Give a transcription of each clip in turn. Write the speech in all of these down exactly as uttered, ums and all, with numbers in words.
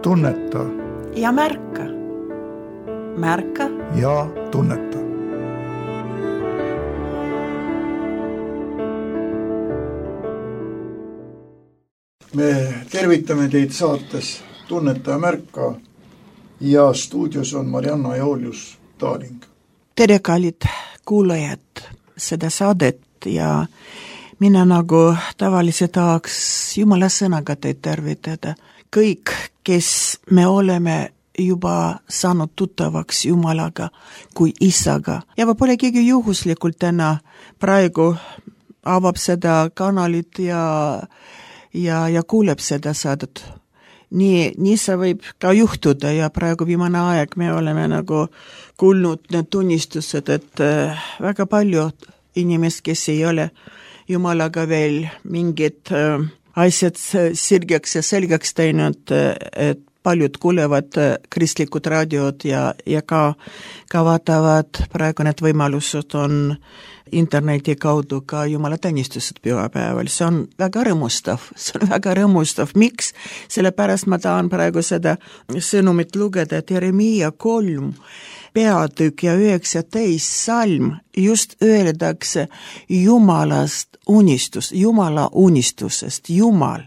tunneta ja märka. Märka ja tunneta. Me tervitame teid saates Tunneta ja märka ja stuudios on Marianna ja Oljus Taaling. Tere kallid kuulajad seda saadet ja mina nagu tavalise tahaks Jumala sõnaga teid tervitada. Kõik, kes me oleme juba saanud tuttavaks Jumalaga kui isaga ja võib-olla keegi juhuslikult täna praegu avab seda kanalit ja, ja, ja kuuleb seda saadet. Nii, nii see võib ka juhtuda ja praegu viimane aeg me oleme nagu kuulnud need tunnistused, et väga palju inimest, kes ei ole Jumalaga veel mingid asjad sirgeks ja selgeks teinud, et paljud kuulevad kristlikud raadiod ja, ja ka, ka vaatavad praegu need võimalused on interneti kaudu ka Jumala teenistused pühapäeval. See on väga rõõmustav, see on väga rõõmustav. Miks? Sellepärast ma tahan praegu seda sõnumit lugeda, et Jeremiia kolm peatükk ja üheksateist salm just öeldakse Jumalast unistus, Jumala unistusest, Jumal.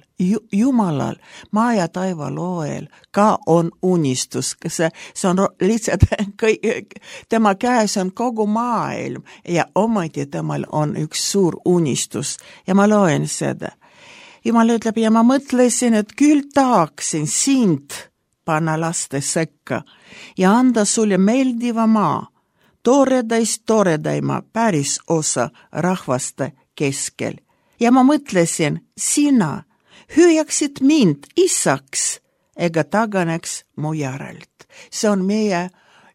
Jumalal, maa ja taiva looel ka on unistus, see, see on lihtsalt kõik, tema käes on kogu maailm ja ometi temal on üks suur unistus ja ma loen seda. Jumal ütleb ja ma mõtlesin, et küll tahaksin sind panna laste sekka ja anda sulle meeldiva maa, toredaist toredaima päris osa rahvaste keskel. Ja ma mõtlesin, sina hüüaksid mind isaks ega taganeks mu järelt. See on meie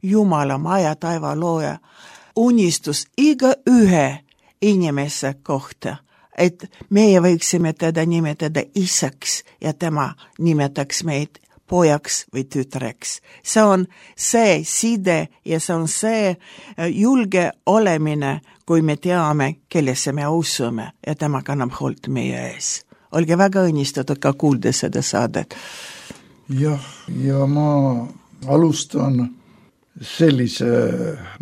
Jumala maa ja taiva looja unistus iga ühe inimese kohta, et meie võiksime teda nimetada isaks ja tema nimetaks meid pojaks või tütreks. See on see side ja see on see julge olemine, kui me teame, kellesse me usume ja tema kannab hoolt meie ees. Olge väga õnnistatud ka kuulda seda saadet. Jah, ja ma alustan sellise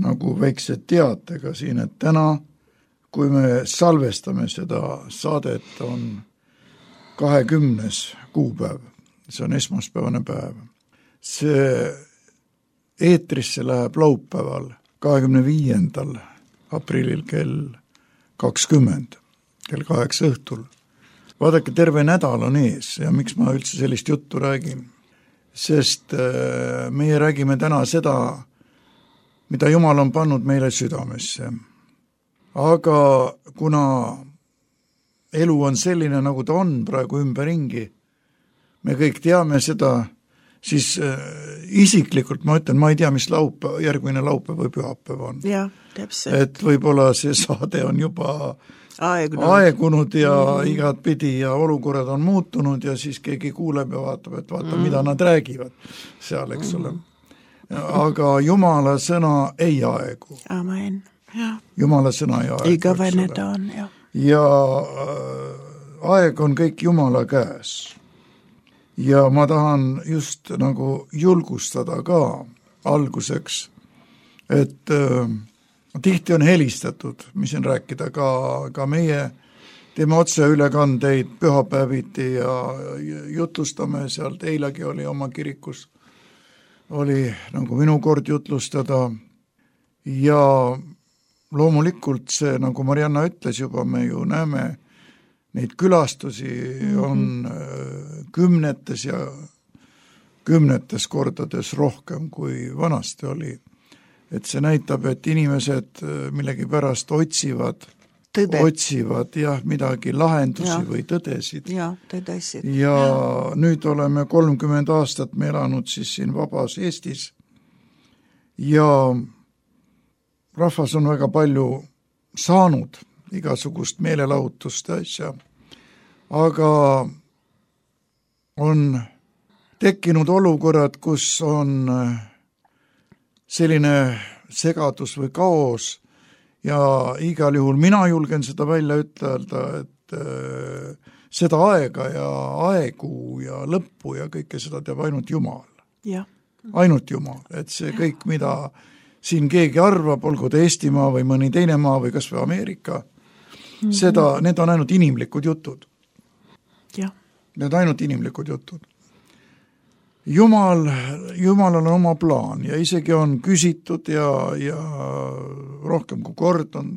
nagu väikse teatega siin, et täna, kui me salvestame seda saadet, on kahekümnes kuupäev, see on esmaspäevane päev. See eetrisse läheb laupäeval, kahekümne viiendal aprillil kell kakskümmend, kell kaheksa õhtul. Vaadake, terve nädal on ees ja miks ma üldse sellist juttu räägin? Sest meie räägime täna seda, mida Jumal on pannud meile südamesse. Aga kuna elu on selline, nagu ta on praegu ümberringi, me kõik teame seda, siis isiklikult ma ütlen, ma ei tea, mis laupäev, järgmine laupäev või pühapäev on. Ja, täpselt. Et võib-olla see saade on juba Aegunud. aegunud ja mm. igat pidi ja olukorrad on muutunud ja siis keegi kuuleb ja vaatab, et vaata, mm. mida nad räägivad seal, eks ole. Aga Jumala sõna ei aegu. Amen. Ja. Jumala sõna ei aegu. Igavene ta on, ja. Ja aeg on kõik Jumala käes. Ja ma tahan just nagu julgustada ka alguseks, et tihti on helistatud, mis on rääkida ka, ka meie teeme otse ülekandeid pühapäeviti ja jutlustame sealt, eilegi oli oma kirikus, oli nagu minu kord jutlustada ja loomulikult see, nagu Marianna ütles juba, me ju näeme neid külastusi on mm-hmm. kümnetes ja kümnetes kordades rohkem kui vanasti oli. Et see näitab, et inimesed millegi pärast otsivad, Tõde. otsivad jah, midagi lahendusi ja. või tõdesid. Ja, tõdesid. Ja, ja nüüd oleme kolmkümmend aastat me elanud siis siin vabas Eestis ja rahvas on väga palju saanud igasugust meelelahutust asja, aga on tekkinud olukorrad, kus on selline segadus või kaos ja igal juhul mina julgen seda välja ütelda, et seda aega ja aegu ja lõppu ja kõike seda teab ainult Jumal. Ja. Ainult Jumal, et see kõik, mida siin keegi arvab, olgu ta Eestimaa või mõni teine maa või kas või Ameerika, mm-hmm. seda, need on ainult inimlikud jutud. Ja. Need on ainult inimlikud jutud. Jumal, Jumalal on oma plaan ja isegi on küsitud ja, ja rohkem kui kord on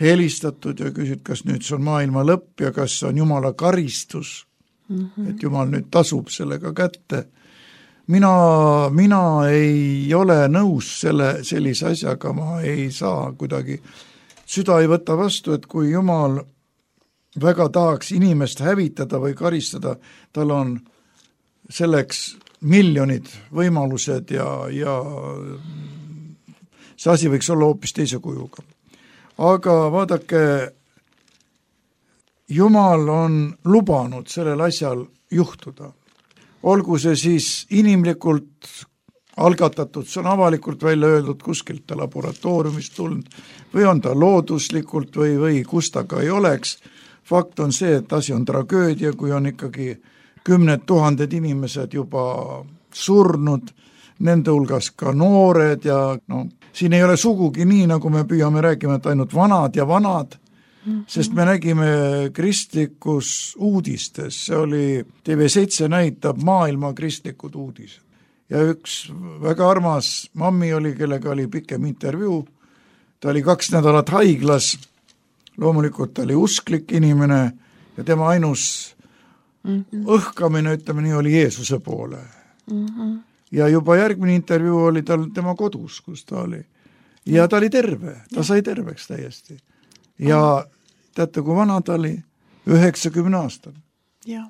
helistatud ja küsid, kas nüüd see on maailma lõpp ja kas on Jumala karistus, mm-hmm. et Jumal nüüd tasub sellega kätte. Mina, mina ei ole nõus selle, sellise asjaga, ma ei saa kuidagi, süda ei võta vastu, et kui Jumal väga tahaks inimest hävitada või karistada, tal on selleks miljonid võimalused ja, ja see asi võiks olla hoopis teise kujuga. Aga vaadake, Jumal on lubanud sellel asjal juhtuda. Olgu see siis inimlikult algatatud, see on avalikult välja öeldud kuskilt ta laboratooriumist tulnud või on ta looduslikult või, või kus ta ka ei oleks. Fakt on see, et asi on tragöödia, kui on ikkagi kümned tuhanded inimesed juba surnud, nende hulgas ka noored ja no, siin ei ole sugugi nii, nagu me püüame rääkima, et ainult vanad ja vanad, mm-hmm. sest me nägime kristlikus uudistes, see oli T V seitse näitab maailma kristlikud uudised. Ja üks väga armas mammi oli, kellega oli pikem intervjuu, ta oli kaks nädalat haiglas, loomulikult ta oli usklik inimene ja tema ainus mm-hmm. õhkamine, ütleme nii, oli Jeesuse poole. Mm-hmm. Ja juba järgmine intervjuu oli tal tema kodus, kus ta oli. Ja ta oli terve, ta ja. sai terveks täiesti. Ja teate, kui vana ta oli? üheksakümne aastane. Ja.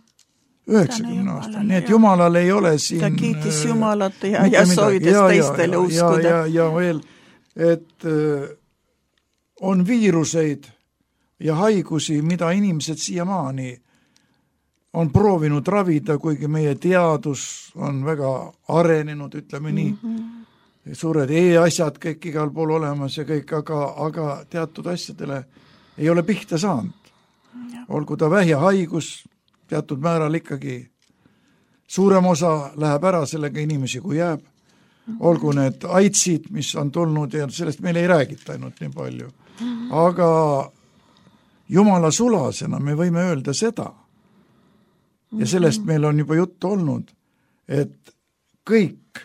üheksakümne aastane, nii et Jumalal ei ole siin... Ta kiitis Jumalat ja, ja soovides ja, teistele ja, uskuda. Ja, ja, ja veel, et äh, on viiruseid ja haigusi, mida inimesed siiamaani on proovinud ravida, kuigi meie teadus on väga arenenud, ütleme nii, mm-hmm. suured e-asjad kõik igal pool olemas ja kõik, aga, aga teatud asjadele ei ole pihta saanud. Ja. Olgu ta vähjahaigus, teatud määral ikkagi suurem osa läheb ära sellega inimesi, kui jääb. Mm-hmm. Olgu need aitsid, mis on tulnud ja sellest meil ei räägita ainult nii palju. Mm-hmm. Aga Jumala sulasena me võime öelda seda, ja sellest meil on juba juttu olnud, et kõik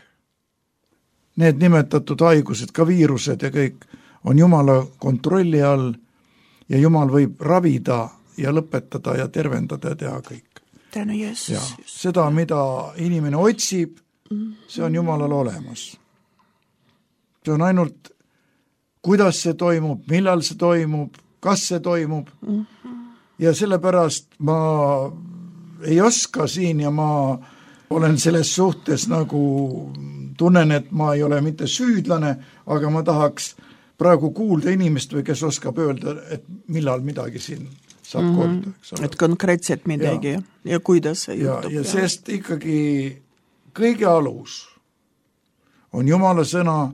need nimetatud haigused, ka viirused ja kõik on Jumala kontrolli all ja Jumal võib ravida ja lõpetada ja tervendada ja teha kõik. Tänu Jeesus. Ja seda, mida inimene otsib, see on Jumalal olemas. See on ainult, kuidas see toimub, millal see toimub, kas see toimub ja sellepärast ma ei oska siin ja ma olen selles suhtes nagu tunnen, et ma ei ole mitte süüdlane, aga ma tahaks praegu kuulda inimest või kes oskab öelda, et millal midagi siin saab mm-hmm. korda. Eks ole. Et konkreetselt midagi ja, ja kuidas see ja, juhtub. Ja sest ikkagi kõige alus on Jumala sõna,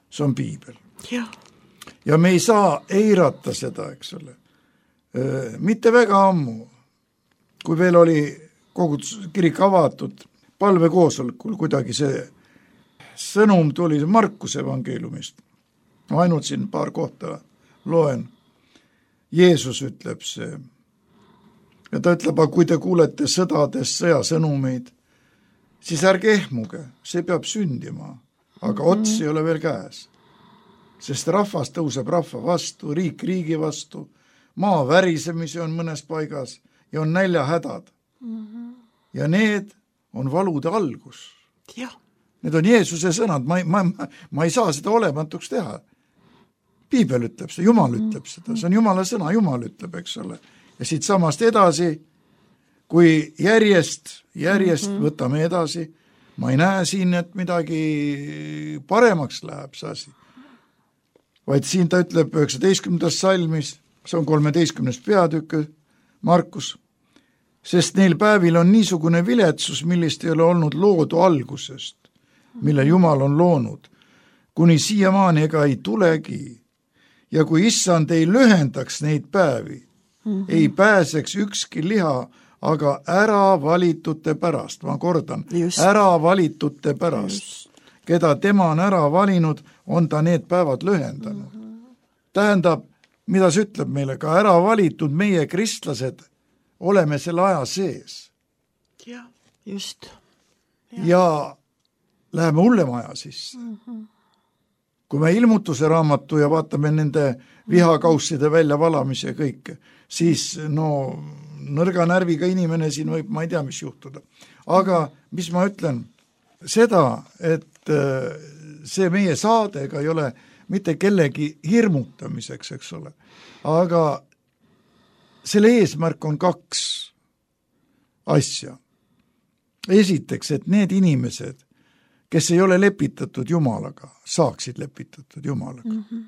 see on Piibel. Ja. ja me ei saa eirata seda, eks ole. Mitte väga ammu, kui veel oli kogutus kirik avatud palvekoosolekul, kuidagi see sõnum tuli Markuse evangeeliumist. Ma ainult siin paar kohta loen. Jeesus ütleb see. Ja ta ütleb, aga kui te kuulete sõdadest sõjasõnumeid, siis ärge ehmuge, see peab sündima, aga ots ei ole veel käes. Sest rahvas tõuseb rahva vastu, riik riigi vastu, maa värisemisi on mõnes paigas ja on näljahädad. Mm-hmm. Ja need on valude algus. Ja. Need on Jeesuse sõnad, ma, ma, ma ei saa seda olematuks teha. Piibel ütleb seda, Jumal ütleb seda, see on Jumala sõna, Jumal ütleb, eks ole. Ja siit samast edasi, kui järjest, järjest mm-hmm. võtame edasi, ma ei näe siin, et midagi paremaks läheb see asi. Vaid siin ta ütleb üheksateistkümnendas salmis, see on kolmeteistkümnes peatükk, Markus, sest neil päevil on niisugune viletsus, millist ei ole olnud loodu algusest, mille Jumal on loonud, kuni siiamaani ega ei tulegi. Ja kui issand ei lühendaks neid päevi, mm-hmm. ei pääseks ükski liha, aga ära valitute pärast, ma kordan, just. ära valitute pärast, just. keda tema on ära valinud, on ta need päevad lühendanud. Mm-hmm. Tähendab, mida see ütleb meile, ka ära valitud meie kristlased oleme selle aja sees. Ja, just. Ja, ja läheme hullema aja sisse. Mm-hmm. Kui me ilmutuse raamatu ja vaatame nende vihakausside väljavalamise ja kõike, siis no nõrga närviga inimene siin võib, ma ei tea, mis juhtuda. Aga mis ma ütlen, seda, et see meie saadega ei ole mitte kellegi hirmutamiseks, eks ole, aga selle eesmärk on kaks asja. Esiteks, et need inimesed, kes ei ole lepitatud Jumalaga, saaksid lepitatud Jumalaga. Mm-hmm.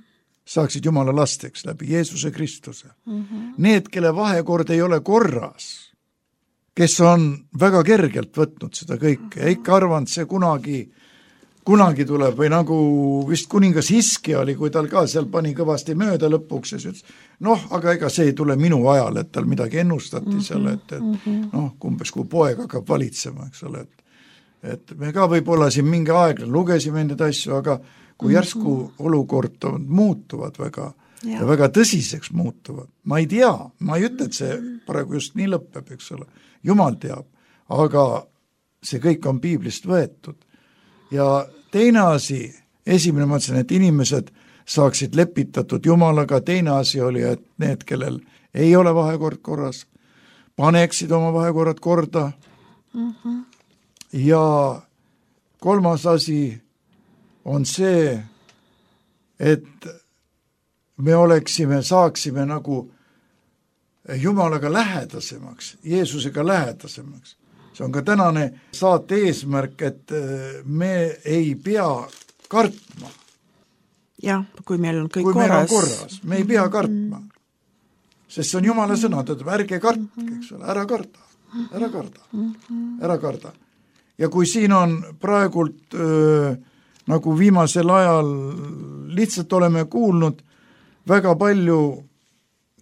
Saaksid Jumala lasteks läbi Jeesuse Kristuse. Mm-hmm. Need, kelle vahekord ei ole korras, kes on väga kergelt võtnud seda kõike mm-hmm. ja ikka arvanud see kunagi, kunagi tuleb, või nagu vist kuningas Hiski oli, kui tal ka seal pani kõvasti mööda lõpuks ja ütles, noh, aga ega see ei tule minu ajal, et tal midagi ennustati mm-hmm. seal, et, et mm-hmm. noh, kumbes kui poeg hakkab valitsema, eks ole, et et me ka võib-olla siin mingi aeg lugesime neid asju, aga kui järsku mm-hmm. olukord on, muutuvad väga ja. ja väga tõsiseks muutuvad. Ma ei tea, ma ei ütle, et see praegu just nii lõpeb, eks ole. Jumal teab, aga see kõik on piiblist võetud. Ja teine asi, esimene mõtlesin, et inimesed saaksid lepitatud Jumalaga, teine asi oli, et need, kellel ei ole vahekord korras, paneksid oma vahekorrad korda mm-hmm. ja kolmas asi on see, et me oleksime, saaksime nagu Jumalaga lähedasemaks, Jeesusega lähedasemaks. See on ka tänane saate eesmärk, et me ei pea kartma. Jah, kui meil on kõik kui korras. Meil on korras. Me ei pea kartma. Sest see on Jumala sõna, et ärge kartke, eks ole, ära karda, ära karda, ära karda. Ja kui siin on praegult öö, nagu viimasel ajal lihtsalt oleme kuulnud, väga palju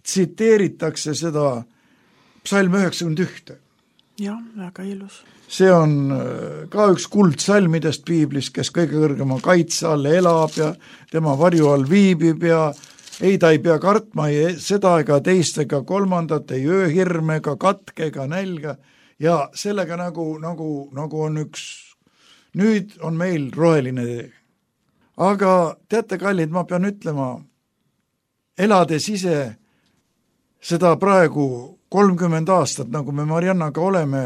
tsiteeritakse seda psalm üheksakümmend üks. Jah, väga ilus. See on ka üks kuldsalmidest piiblis, kes kõige kõrgema kaitse all elab ja tema varju all viibib ja ei, ta ei pea kartma ei seda ega teist ega kolmandat, ei ööhirme ega katke ega nälga. Ja sellega nagu, nagu, nagu on üks, nüüd on meil roheline tee. Aga teate, kallid, ma pean ütlema, elades ise seda praegu kolmkümmend aastat, nagu me Mariannaga oleme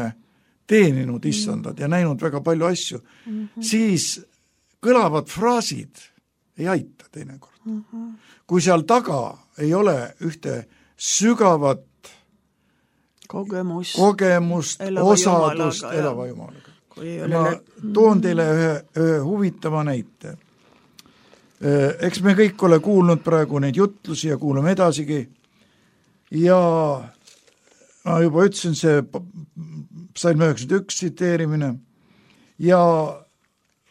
teeninud issandad ja näinud väga palju asju, mm-hmm. siis kõlavad fraasid ei aita teinekord. Mm-hmm. Kui seal taga ei ole ühte sügavat kogemust, kogemust elava osadust jumalaga, elava Jumalaga. Ole... Ma toon teile ühe, ühe huvitava näite. Eks me kõik ole kuulnud praegu neid jutlusi ja kuulame edasigi ja ma juba ütlesin see psalm üheksakümmend üks tsiteerimine ja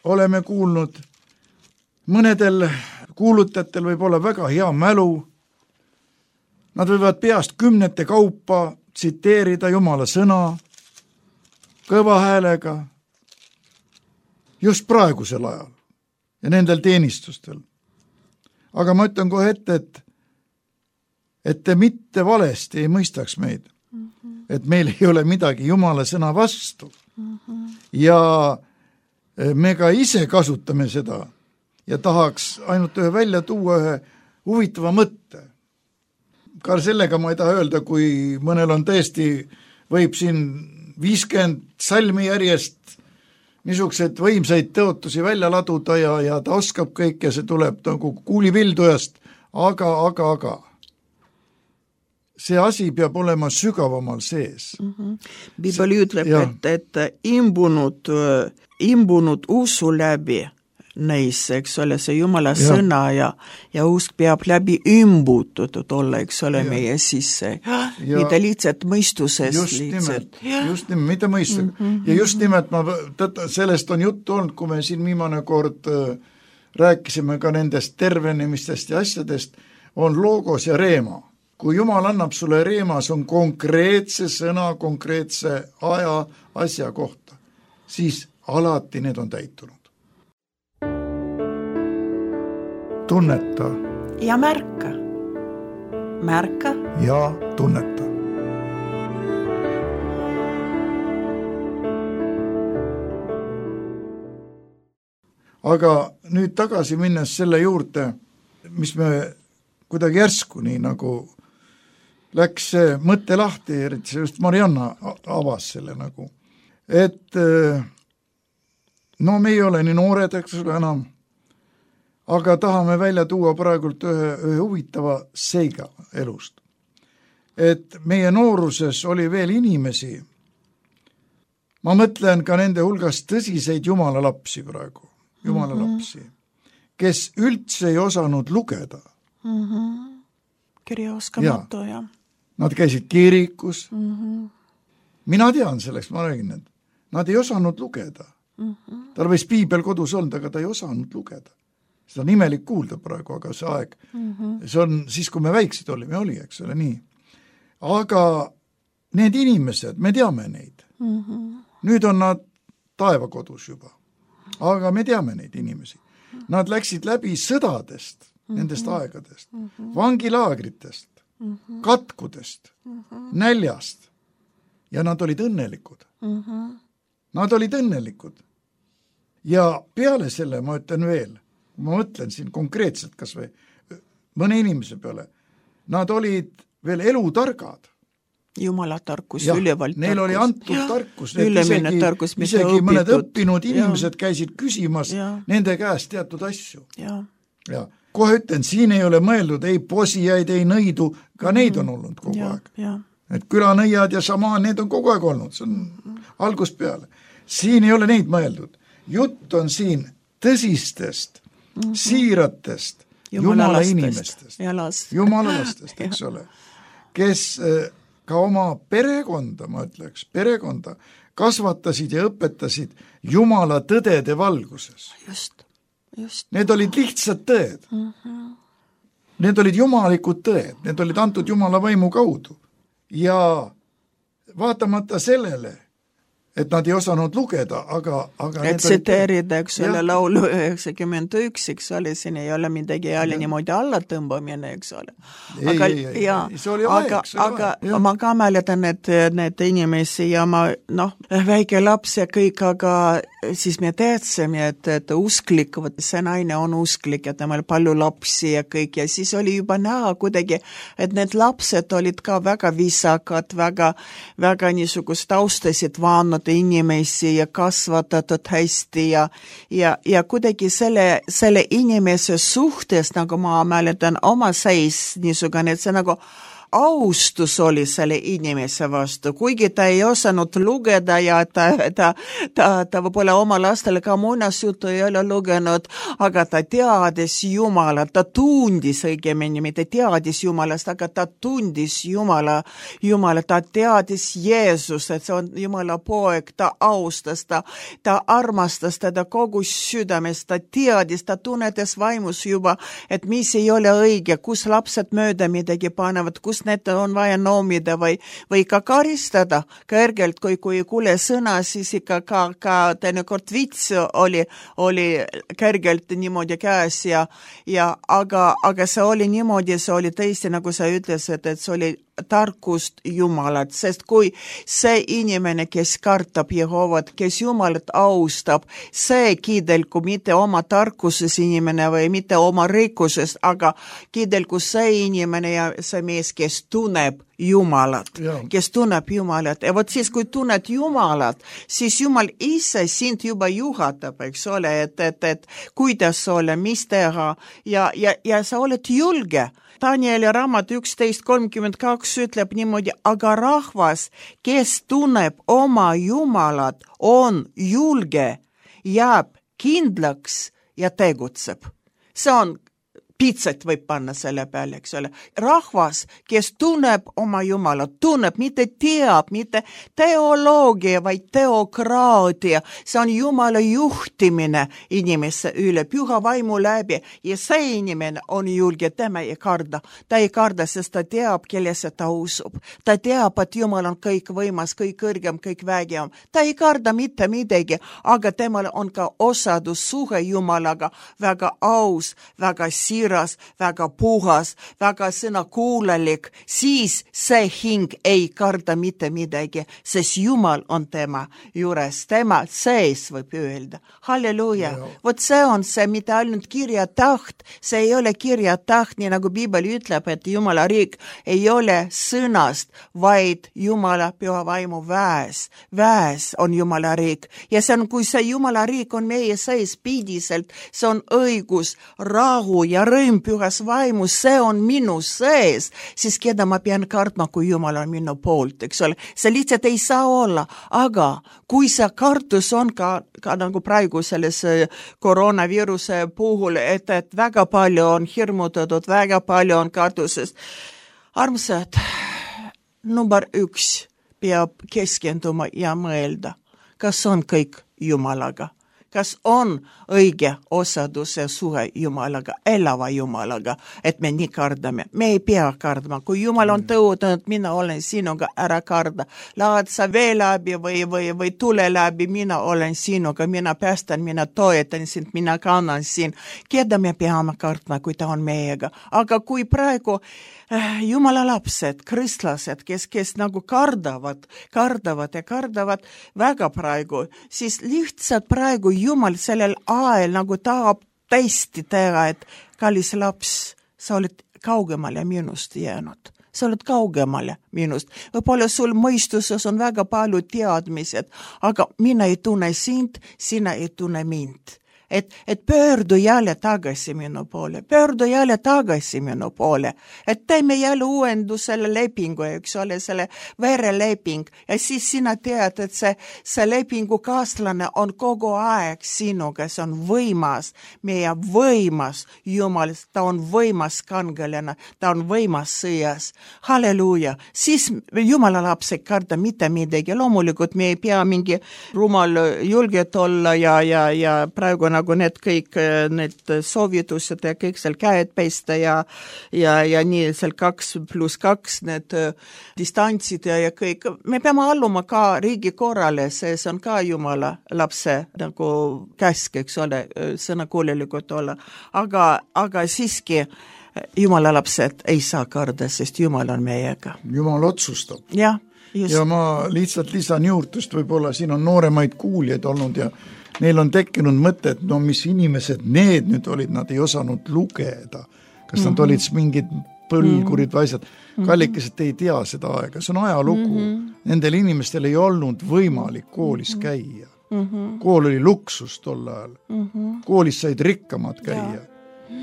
oleme kuulnud mõnedel kuulutajatel võib olla väga hea mälu, nad võivad peast kümnete kaupa tsiteerida Jumala sõna kõva häälega just praegusel ajal ja nendel teenistustel. Aga ma ütlen kohe ette, et, et te mitte valesti ei mõistaks meid, mm-hmm. et meil ei ole midagi Jumala sõna vastu. Mm-hmm. Ja me ka ise kasutame seda ja tahaks ainult ühe välja tuua ühe huvitava mõtte. Ka sellega ma ei taha öelda, kui mõnel on tõesti, võib siin viiskümmend salmi järjest niisugused võimsaid tõotusi välja laduda ja, ja ta oskab kõik ja see tuleb nagu kuulipildujast, aga, aga, aga see asi peab olema sügavamal sees. Mm-hmm. Bibel ütleb, et, et imbunud, imbunud usu läbi neis, eks ole, see Jumala ja. Sõna ja, ja usk peab läbi imbutatud olla, eks ole, ja. Meie sisse. Mitte lihtsalt mõistusest. Just nimelt, just nimelt, mitte mõistusest. Mm-hmm. Ja just nimelt, ma, tõtta, sellest on juttu olnud, kui me siin viimane kord äh, rääkisime ka nendest tervenemistest ja asjadest, on logos ja reema. kui Jumal annab sulle reema, see on konkreetse sõna, konkreetse aja, asja kohta, siis alati need on täitunud. Tunneta. Ja märka. Märka. Ja tunneta. Aga nüüd tagasi minnes selle juurde, mis me kuidagi järsku nii nagu läks see mõtte lahti, eriti see just Marianna avas selle nagu, et no me ei ole nii noored, eks ole enam, aga tahame välja tuua praegult ühe, ühe huvitava seiga elust. Et meie nooruses oli veel inimesi, ma mõtlen ka nende hulgas tõsiseid jumala lapsi praegu, jumala lapsi, kes üldse ei osanud lugeda. Mm-hmm. Kirjaoskamatu, ja. Nad käisid kirikus. Mm-hmm. Mina tean selleks, ma räägin, et nad ei osanud lugeda. Mm-hmm. Tal võis piibel kodus olnud, aga ta ei osanud lugeda. Seda on imelik kuulda praegu, aga see aeg, mm-hmm. see on siis, kui me väiksed olime, oli, eks ole, nii. Aga need inimesed, me teame neid. Mm-hmm. Nüüd on nad taevakodus juba. Aga me teame neid inimesi. Nad läksid läbi sõdadest, mm-hmm. nendest aegadest, mm-hmm. vangilaagritest, mm-hmm. katkudest, mm-hmm. näljast. Ja nad olid õnnelikud. Mm-hmm. Nad olid õnnelikud. Ja peale selle ma ütlen veel, ma mõtlen siin konkreetselt kas või mõne inimese peale, nad olid veel elutargad. Jumala tarkus, ülevalt tarkus. Neil oli antud ja, tarkus. Ülemine isegi, tarkus, mis isegi õpitud. Mõned õppinud inimesed ja. Käisid küsimas ja. Nende käest teatud asju. Ja. Ja. Kohe ütlen, siin ei ole mõeldud ei posijaid, ei nõidu, ka mm. neid on olnud kogu ja. Aeg. Ja. Et külanõiad ja samaan, need on kogu aeg olnud, see on mm. algust peale. Siin ei ole neid mõeldud. Jutt on siin tõsistest, mm-hmm. siiratest, jumala, jumala inimestest. Ja last. Jumala lastest, eks ole. Kes ka oma perekonda, ma ütleks, perekonda kasvatasid ja õpetasid Jumala tõdede valguses. Just, just. Need olid lihtsad tõed. Mm-hmm. Need olid jumalikud tõed, need olid antud Jumala vaimu kaudu. Ja vaatamata sellele, et nad ei osanud lugeda, aga... aga et tsiteerida, eks ole, laulu üheksakümmend üks, eks ole, siin ei ole midagi jälle niimoodi alla tõmbamine, eks ole. Aga, ei, ei, ja, ei, see oli aeg, aga, see oli aga aeg. Ma ka mäletan, et need inimesi ja ma, noh, väike laps ja kõik, aga siis me teadsime, et, et usklik, see naine on usklik ja temal palju lapsi ja kõik ja siis oli juba näha kuidagi, et need lapsed olid ka väga viisakad, väga, väga niisugust taustasid vaanud inimesi ja kasvatatud hästi ja, ja, ja kuidagi selle, selle inimese suhtes, nagu ma mäletan, oma seis niisugune, et see nagu austus oli selle inimese vastu, kuigi ta ei osanud lugeda ja ta, ta, ta, ta võib-olla oma lastele ka muinasjutu ei ole lugenud, aga ta teadis Jumalat, ta tundis õigemini, mitte teadis Jumalast, aga ta tundis Jumala, Jumala, ta teadis Jeesus, et see on Jumala poeg, ta austas, ta, ta armastas teda kogu südamest, ta teadis, ta tunnetas vaimus juba, et mis ei ole õige, kus lapsed mööda midagi panevad, kus need on vaja noomida või, või ka karistada kergelt, kui, kui kuule sõna, siis ikka ka, ka teinekord vits oli, oli kergelt niimoodi käes ja, ja aga, aga see oli niimoodi, see oli tõesti, nagu sa ütlesid, et see oli tarkust Jumalat, sest kui see inimene, kes kartab Jehovat, kes Jumalat austab, see kiidelgu mitte oma tarkuses inimene või mitte oma rikkuses, aga kiidelgu see inimene ja see mees, kes tunneb Jumalat, ja. Kes tunneb Jumalat. Ja vot siis, kui tunned Jumalat, siis Jumal ise sind juba juhatab, eks ole, et, et, et kuidas olla, mis teha ja, ja, ja sa oled julge. Danieli raamat üksteist kolmkümmend kaks ütleb niimoodi, aga rahvas, kes tunneb oma Jumalat, on julge, jääb kindlaks ja tegutseb. See on piitsat võib panna selle peale, eks ole. Rahvas, kes tunneb oma Jumala, tunneb, mitte teab, mitte teoloogia, vaid teokraatia. See on Jumala juhtimine inimesse üle, püha vaimu läbi. Ja see inimene on julge, tema ei karda. Ta ei karda, sest ta teab, kellesse ta usub. Ta teab, et Jumal on kõik võimas, kõik kõrgem, kõik vägevam. Ta ei karda mitte midagi, aga temal on ka osadus suhe Jumalaga väga aus, väga siir, väga puhas, väga sõnakuulelik, siis see hing ei karda mitte midagi, sest Jumal on tema juures, tema sees võib öelda. Halleluuja. Vot see on see, mitte ainult kirja taht, see ei ole kirja taht, nii nagu Piibel ütleb, et Jumala riik ei ole sõnast, vaid Jumala püha vaimu väes. Väes on Jumala riik. Ja see on, kui see Jumala riik on meie sees pidiselt, see on õigus, rahu ja rõõm pühas vaimus, see on minu sees, siis keda ma pean kartma, kui Jumal on minu poolt, eks ole. See lihtsalt ei saa olla, aga kui see kartus on ka, ka nagu praegu selles koroonaviiruse puhul, et, et väga palju on hirmutatud, väga palju on kartusest. Armsad, number üks peab keskenduma ja mõelda, kas on kõik Jumalaga. Kas on õige osadus ja suhe Jumalaga, elava Jumalaga, et me nii kardame. Me ei pea kardma. Kui Jumal on tõotanud, mina olen sinuga, ära karda. Laad sa vee läbi või, või, või tule läbi, mina olen sinuga, mina päästan, mina toetan sind, mina kannan sind. Keda me peame kardma, kui ta on meiega. Aga kui praegu Jumala lapsed, kristlased, kes, kes nagu kardavad, kardavad ja kardavad väga praegu, siis lihtsalt praegu Jumal sellel ajal nagu tahab tõesti teha, et kallis laps, sa oled kaugemale minust jäänud. Sa oled kaugemale minust. Võib-olla sul mõistuses on väga palju teadmised, aga mina ei tunne sind, sina ei tunne mind. Et, et pöördu jälle tagasi minu poole, pöördu jälle tagasi minu poole, et teeme jälle uuendu selle lepingu, eks ole, selle vereleping, ja siis sina tead, et see, see lepingu kaaslane on kogu aeg sinuga, see on võimas, meie võimas Jumal, ta on võimas kangelane, ta on võimas sõjas, halleluuja, siis Jumala laps ei karda mitte midagi, loomulikult me ei pea mingi rumal julget olla ja, ja, ja praegu nagu need kõik need soovitused ja kõik seal käed peista ja, ja, ja nii seal kaks pluss kaks need distantsid ja, ja kõik. Me peame alluma ka riigi korrale, see on ka Jumala lapse nagu käsk, eks ole, sõnakuulelikult olla. Aga, aga siiski Jumala lapsed ei saa karda, sest Jumal on meiega. Jumal otsustab. Ja, just. Ja ma lihtsalt lisan juurtust, võib-olla siin on nooremaid kuuljaid olnud ja neil on tekkinud mõte, et no mis inimesed need nüüd olid, nad ei osanud lugeda. Kas nad mm-hmm. olid mingid põlgurid või asjad. Kallikesed ei tea seda aega, see on ajalugu. Mm-hmm. Nendel inimestel ei olnud võimalik koolis käia. Mm-hmm. Kool oli luksus tol ajal. Mm-hmm. Koolis said rikkamad käia. Ja.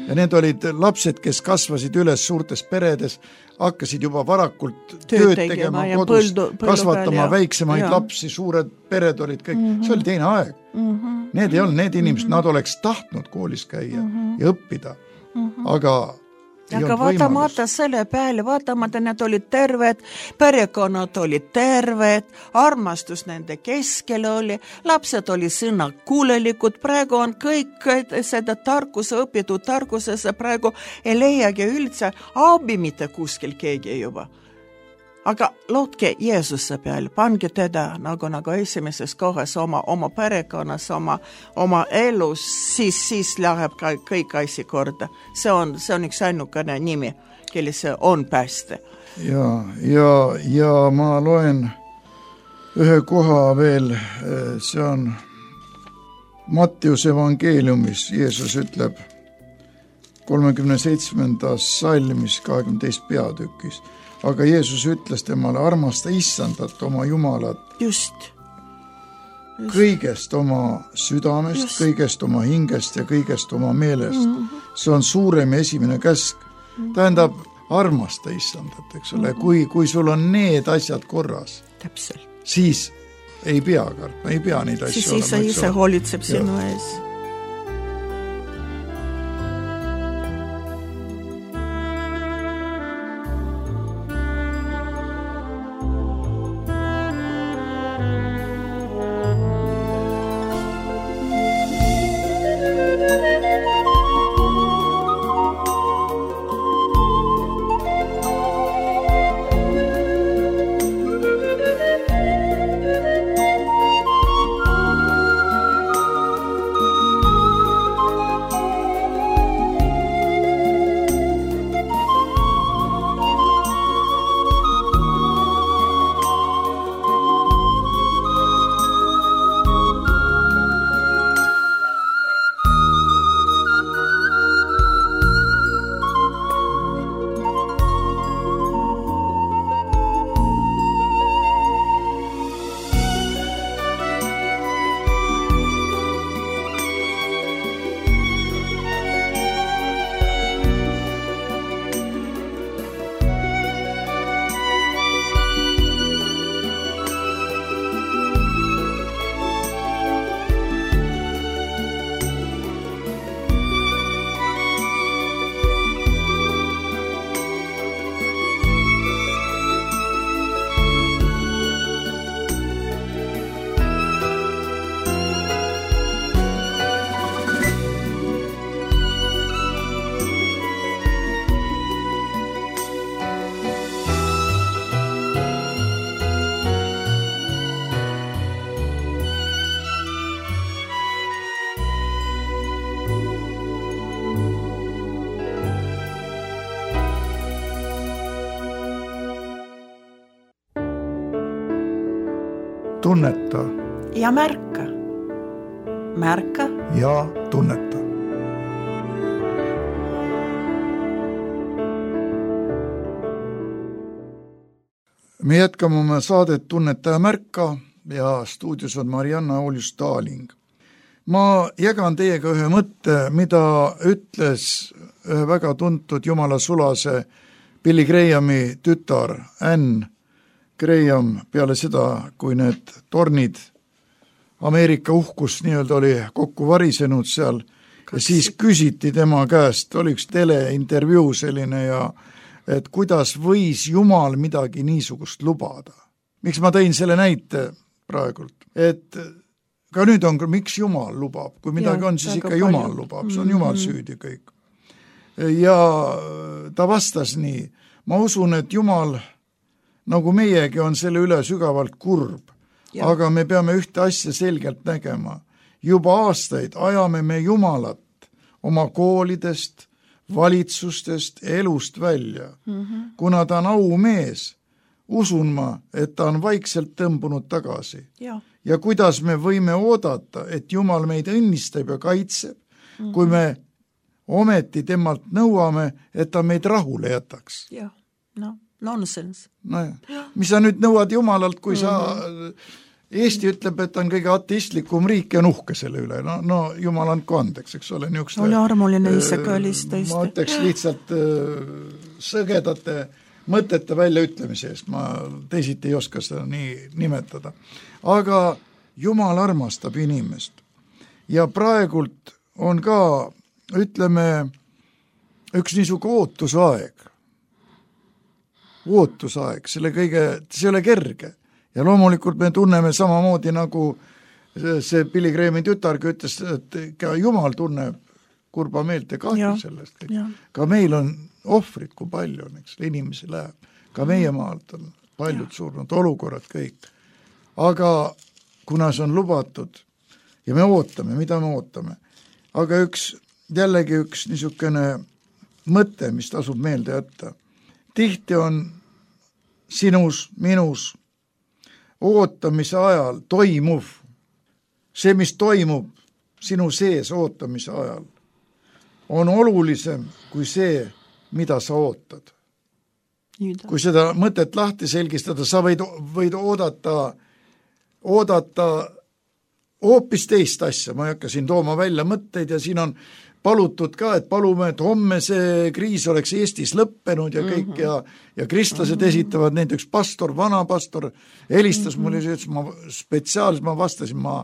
Ja need olid lapsed, kes kasvasid üles suurtes peredes, hakkasid juba varakult tööd tegema kodus, põldu, põldu kasvatama peal, väiksemaid ja. Lapsi, suured pered olid kõik, mm-hmm. see oli teine aeg. Mm-hmm. Need ei olnud need inimesed, mm-hmm. nad oleks tahtnud koolis käia mm-hmm. ja õppida, mm-hmm. aga aga vaatamata selle peale, vaatamata need olid terved, perekonnad olid terved, armastus nende keskel oli, lapsed oli sõnakuulelikud, praegu on kõik seda tarkuse õpitud tarkusesse, praegu ei leiagi üldse abi mitte kuskil keegi juba. Aga lootke Jeesuse peal, pange teda nagu, nagu esimeses kohas oma, oma perekonnas, oma, oma elus, siis, siis läheb ka kõik asi korda. See on, see on üks ainukene nimi, kelles on pääste. Ja, ja, ja ma loen ühe koha veel, see on Mattiuse evangeeliumis, Jeesus ütleb kolmekümne seitsmendas salmis kahekümne teisel peatükis, aga Jeesus ütles temale, armasta Issandat, oma Jumalat. Just. Just. Kõigest oma südamest, Just. Kõigest oma hingest ja kõigest oma meelest. Mm-hmm. See on suurem esimene käsk. Mm-hmm. Tähendab, armasta Issandat, eks ole. Mm-hmm. Kui, kui sul on need asjad korras, Täpselt. Siis ei pea kartma, ei pea neid asju siis olema. Siis ise hoolitseb sinu ees. tunneta ja märka. Märka ja tunneta. Me jätkame oma saadet Tunneta ja märka ja stuudios on Marianna Oljus-Taaling. Ma jagan teiega ühe mõtte, mida ütles ühe väga tuntud jumala sulase Billy Grahami tütar Ann Graham peale seda, kui need tornid Ameerika uhkus nii-öelda oli kokku varisenud seal ja siis küsiti tema käest, oli üks teleintervjuu selline ja et kuidas võis Jumal midagi niisugust lubada. Miks ma tõin selle näite praegult, et ka nüüd on, miks Jumal lubab, kui midagi ja, on, siis ikka Jumal palju. Lubab, see on Jumal mm-hmm. süüdi kõik. Ja ta vastas nii, ma usun, et Jumal, nagu meiegi, on selle üle sügavalt kurb, ja. Aga me peame ühte asja selgelt nägema. Juba aastaid ajame me Jumalat oma koolidest, valitsustest, elust välja. Mm-hmm. Kuna ta on aumees, usun ma, et ta on vaikselt tõmbunud tagasi. Ja. Ja kuidas me võime oodata, et Jumal meid õnnistab ja kaitseb, mm-hmm. kui me ometi temalt nõuame, et ta meid rahule jätaks. Ja, no, nonsense. No ja. Mis sa nüüd nõuad Jumalalt, kui mm-hmm. sa... Eesti ütleb, et on kõige ateistlikum riik ja nuhke selle üle. No, no Jumal andku andeks, eks ole. Niukste, oli armuline isega olis tõesti. Ma ütleks lihtsalt äh, sõgedate mõtete väljaütlemise eest. Ma teisiti ei oska seda nii nimetada. Aga Jumal armastab inimest. Ja praegult on ka, ütleme, üks niisugu ootusaeg. Ootusaeg, selle kõige, see ole kerge. Ja loomulikult me tunneme samamoodi nagu see Billy Grahami tütargi ütles, et ka Jumal tunneb kurba meelt ja kahju sellest. Ka meil on ohvrid, kui palju on, eks, inimesi läheb. Ka meie maalt on paljud ja. Surnud, olukorrad kõik. Aga kuna see on lubatud ja me ootame, mida me ootame, aga üks, jällegi üks niisugune mõte, mis tasub meelde jätta. Tihti on sinus, minus ootamise ajal toimuv, see, mis toimub sinu sees ootamise ajal, on olulisem kui see, mida sa ootad. Nüüd. Kui seda mõtet lahti selgistada, sa võid, võid oodata, oodata hoopis teist asja, ma ei hakka siin tooma välja mõtteid ja siin on palutud ka, et palume, et homme see kriis oleks Eestis lõppenud ja kõik mm-hmm. ja, ja kristlased mm-hmm. esitavad neid üks pastor, vana pastor, helistas mm-hmm. mulle, ütles, ma spetsiaalselt ma vastasin, ma,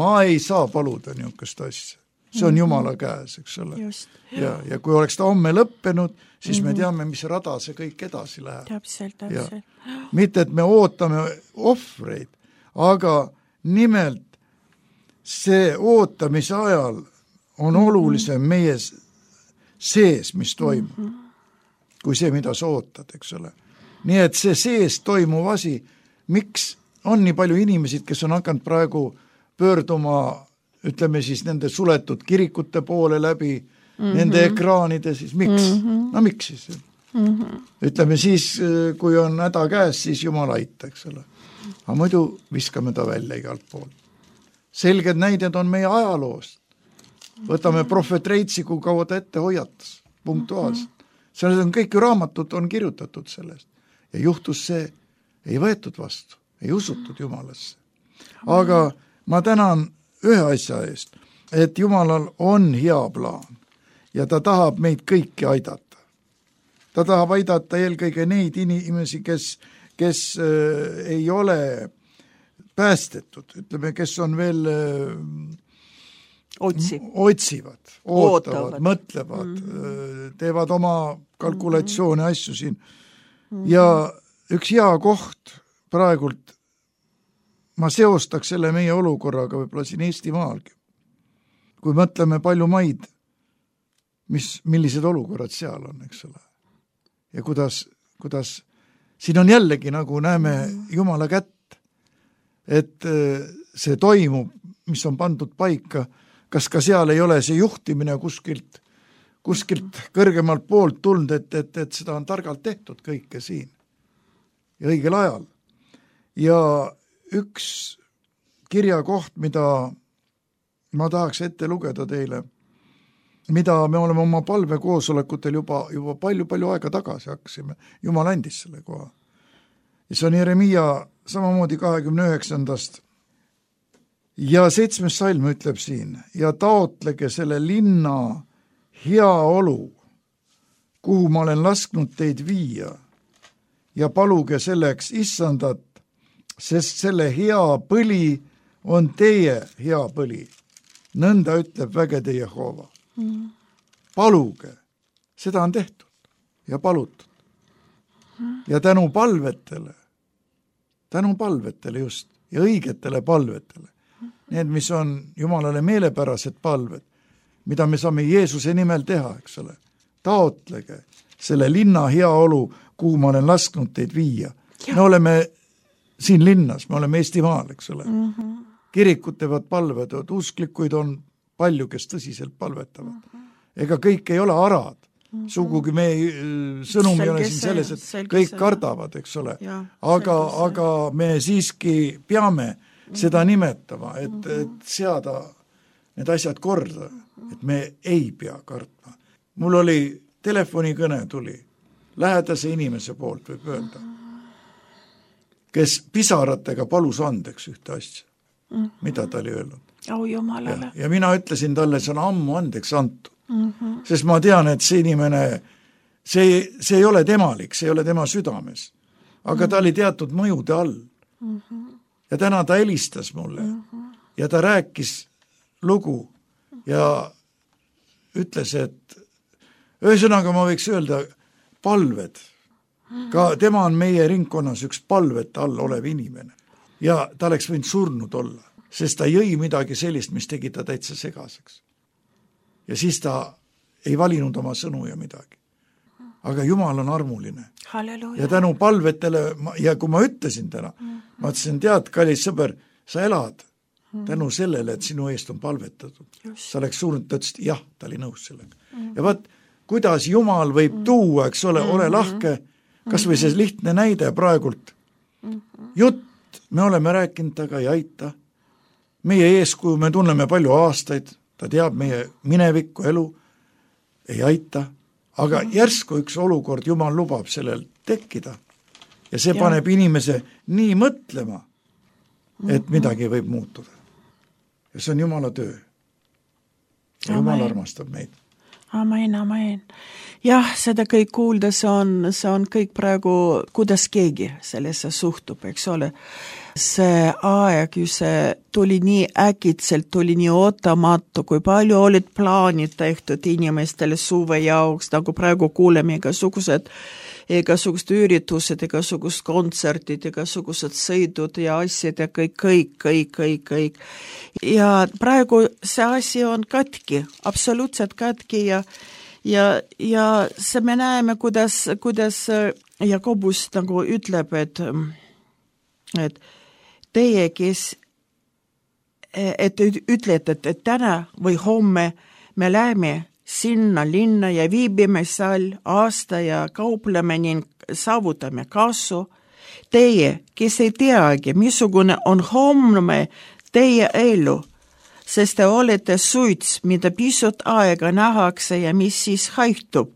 ma ei saa paluda niisugust asja. See on mm-hmm. Jumala käes, eks ole. Just. Ja, ja kui oleks ta homme lõppenud, siis mm-hmm. me teame, mis rada see kõik edasi läheb. Täpselt, täpselt. Ja. Mitte, et me ootame ohvreid, aga nimelt see ootamise ajal on olulisem meie sees, mis toimub, mm-hmm. kui see, mida sa ootad, eks ole. Nii et see sees toimuv asi, miks on nii palju inimesid, kes on hakanud praegu pöörduma, ütleme siis nende suletud kirikute poole läbi, mm-hmm. nende ekraanide, siis miks? Mm-hmm. No miks siis? Mm-hmm. Ütleme siis, kui on häda käes, siis Jumal aita, eks ole. Aga muidu viskame ta välja igalt pool. Selged näided on meie ajaloost. Võtame prohvet Reitsi, kui kaua ta ette hoiatas, punktuaalselt. Selles on kõik ju raamatud on kirjutatud sellest. Ja juhtus see, ei võetud vastu, ei usutud Jumalasse. Aga ma tänan ühe asja eest, et Jumalal on hea plaan ja ta tahab meid kõiki aidata. Ta tahab aidata eelkõige neid inimesi, kes, kes äh, ei ole päästetud, ütleme, kes on veel... Äh, Otsib. otsivad, ootavad, ootavad, mõtlevad, mm-hmm. teevad oma kalkulatsioone mm-hmm. asju siin. Mm-hmm. Ja üks hea koht praegult, ma seostaks selle meie olukorraga võib-olla siin Eestimaalgi. Kui mõtleme palju maid, mis, millised olukorrad seal on, eks ole. Ja kuidas, kuidas siin on jällegi nagu näeme mm-hmm. Jumala kätt, et see toimub, mis on pandud paika, kas ka seal ei ole see juhtimine kuskilt, kuskilt kõrgemalt poolt tulnud, et, et, et seda on targalt tehtud kõike siin ja õigel ajal. Ja üks kirjakoht, mida ma tahaks ette lugeda teile, mida me oleme oma palvekoosolekutel juba, juba palju-palju aega tagasi hakkasime. Jumal andis selle koha. Ja see on Jeremia samamoodi kahekümne üheksandast. Ja seitsmes salm ütleb siin, ja taotlege selle linna hea olu, kuhu ma olen lasknud teid viia, ja paluge selleks issandat, sest selle hea põli on teie hea põli. Nõnda ütleb vägede Jehova. Mm. Paluge, seda on tehtud ja palutud. Mm. Ja tänu palvetele, tänu palvetele just, ja õigetele palvetele, mm. need, mis on Jumalale meelepärased palved, mida me saame Jeesuse nimel teha, eks ole. Taotlege selle linna heaolu, kuhu ma olen lasknud teid viia. Ja. Me oleme siin linnas, me oleme Eestimaal, eks ole. Mm-hmm. Kirikud teevad palvedod, usklikuid on palju, kes tõsiselt palvetavad. Mm-hmm. Ega kõik ei ole arad. Mm-hmm. Sugugi me sõnum ei ole siin selles, et kõik see. Kardavad, eks ole. Ja, aga, aga me siiski peame mm-hmm. seda nimetama, et, mm-hmm. et seada need asjad korda, et me ei pea kartma. Mul oli telefonikõne tuli, lähedase inimese poolt võib öelda, kes pisaratega palus andeks ühte asja, mm-hmm. mida ta oli öelnud. Oh, jumalale. Ja, ja mina ütlesin talle, see on ammu andeks antud, mm-hmm. sest ma tean, et see inimene, see, see ei ole temalik, see ei ole tema südames, aga mm-hmm. ta oli teatud mõjude all. Mm-hmm. Ja täna ta helistas mulle mm-hmm. ja ta rääkis lugu ja ütles, et ühesõnaga ma võiks öelda palved. Ka tema on meie ringkonnas üks palvete all olev inimene. Ja ta oleks võinud surnud olla, sest ta jõi midagi sellist, mis tegi ta täitsa segaseks. Ja siis ta ei valinud oma sõnu ja midagi. Aga Jumal on armuline. Halleluja. Ja tänu palvetele, ja kui ma ütlesin täna, ma ütlesin, tead, kallis sõber, sa elad tänu sellele, et sinu eest on palvetatud. Just. Sa oleks surnud, ta ütles, jah, ta oli nõus sellega. Mm. Ja vaat, kuidas Jumal võib mm. tuua, eks ole, mm-hmm. ole lahke, kas või see lihtne näide praegult. Mm-hmm. Jutt, me oleme rääkinud, taga ei aita. Meie eeskuju, me tunneme palju aastaid, ta teab meie minevikku elu, ei aita. Aga mm-hmm. järsku üks olukord, Jumal lubab sellel tekkida. Ja see ja. Paneb inimese nii mõtlema, et mm-hmm. midagi võib muutuda. Ja see on Jumala töö. Ja Jumal armastab meid. Amen, amen. Jah, seda kõik kuulda, see on, see on kõik praegu, kuidas keegi sellesse suhtub, eks ole. See aeg, see tuli nii äkitselt, tuli nii ootamatu, kui palju olid plaanid tehtud inimestele suve jaoks, nagu praegu kuuleme igasugused igasugused üritused, igasugused kontserdid, igasugused sõidud ja asjad ja kõik, kõik, kõik, kõik, kõik. Ja praegu see asi on katki, absoluutselt katki ja, ja, ja see me näeme, kuidas, kuidas Jakobus nagu ütleb, et, et teie, kes, et ütlete, et täna või homme me läheme sinna linna ja viibime seal aasta ja kaupleme ning saavutame kasu. Teie, kes ei teagi, missugune on homme teie elu, sest te olete suits, mida pisut aega nähakse ja mis siis haihtub.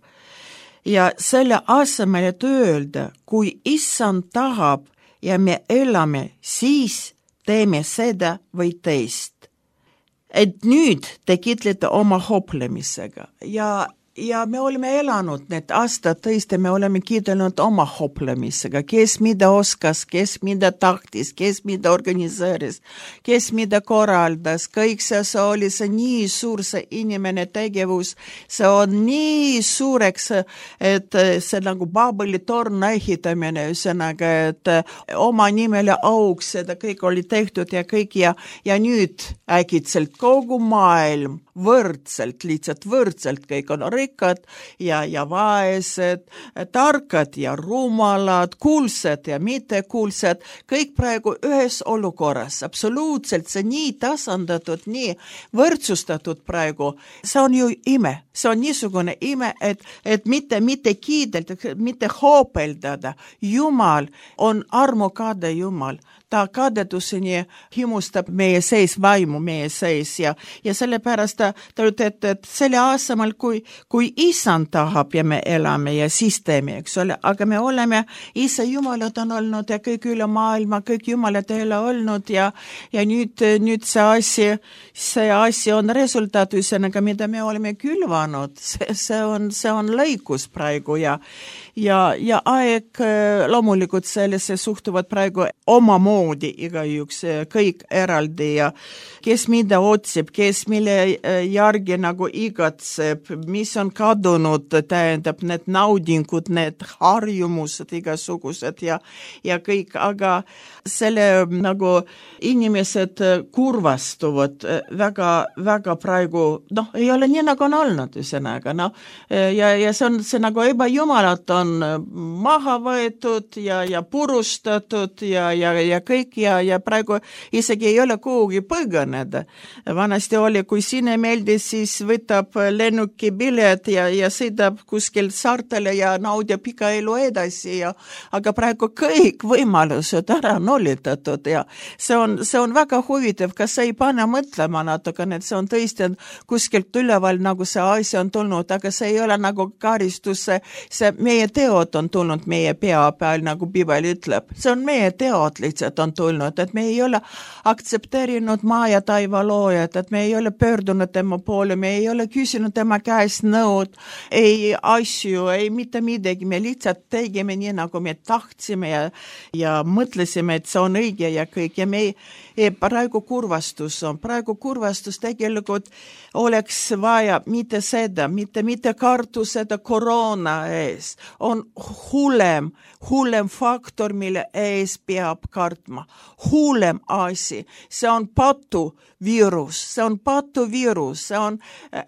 Ja selle asemel, et öelda, kui issand tahab ja me elame, siis teeme seda või teist. Et nüüd te kitlete oma hoplemisega ja, ja me oleme elanud need aastad tõesti, me oleme kiitlenud oma hoplemisega, kes mida oskas, kes mida tahtis, kes mida organiseeris, kes mida korraldas, kõik see, see oli see nii suur see inimene tegevus, see on nii suureks, et see nagu Babeli-torn ehitamine, ühesõnaga, et oma nimele auks, seda kõik oli tehtud ja kõik ja, ja nüüd äkitselt kogu maailm võrdselt, lihtsalt võrdselt, kõik on rikkad ja, ja vaesed, tarkad ja rumalad, kuulsad ja mittekuulsad, kõik praegu ühes olukorras, absoluutselt see nii tasandatud, nii võrdsustatud praegu, see on ju ime, see on niisugune ime, et, et mitte, mitte kiidelda, mitte hoopeldada, Jumal on armukade Jumal, ta kadeduseni himustab meie sees vaimu, meie sees ja, ja sellepärast ta, ta ütleb, et, et selle asemel, kui, kui isand tahab ja me elame ja siis teeme, eks ole, aga me oleme, ise jumalad on olnud ja kõik üle maailma, kõik jumalad ei ole olnud ja, ja nüüd, nüüd see asi, see asi on resultaat, ühesõnaga, mida me oleme külvanud, see, see on, see on lõikus praegu ja Ja, ja aeg loomulikult sellesse suhtuvad praegu omamoodi igaüks, kõik eraldi ja kes mida otsib, kes mille järgi nagu igatseb, mis on kadunud, tähendab need naudingud, need harjumused igasugused ja, ja kõik, aga selle nagu inimesed kurvastuvad väga, väga praegu, noh, ei ole nii nagu on olnud, ühesõnaga, noh, ja, ja see on see nagu ebajumalat on maha võetud ja, ja purustatud ja, ja, ja kõik ja, ja praegu isegi ei ole kuhugi põgeneda. Vanasti oli, kui sinne meeldis, siis võtab lennuki pilet ja, ja sõidab kuskil saartele ja naudib pika elu edasi ja, aga praegu kõik võimalused ära nullitatud ja see on, see on väga huvitav, kas ei pane mõtlema natukene, et see on tõesti kuskilt üleval nagu see asi on tulnud, aga see ei ole nagu karistus, see, see meie teod on tulnud meie pea peal, nagu Bibel ütleb. See on meie teod lihtsalt on tulnud, et me ei ole aktsepteerinud maa ja taiva loojat, et me ei ole pöördunud tema poole, me ei ole küsinud tema käest nõud, ei asju, ei mitte midagi, me lihtsalt tegime nii, nagu me tahtsime ja, ja mõtlesime, et see on õige ja kõik ja me ei, praegu kurvastus on, praegu kurvastus tegelikult oleks vaja mitte seda, mitte, mitte kartu seda koroona ees, on hullem, hullem faktor, mille ees peab kartma. Hullem asi, see on patuviirus, see on patuviirus, see on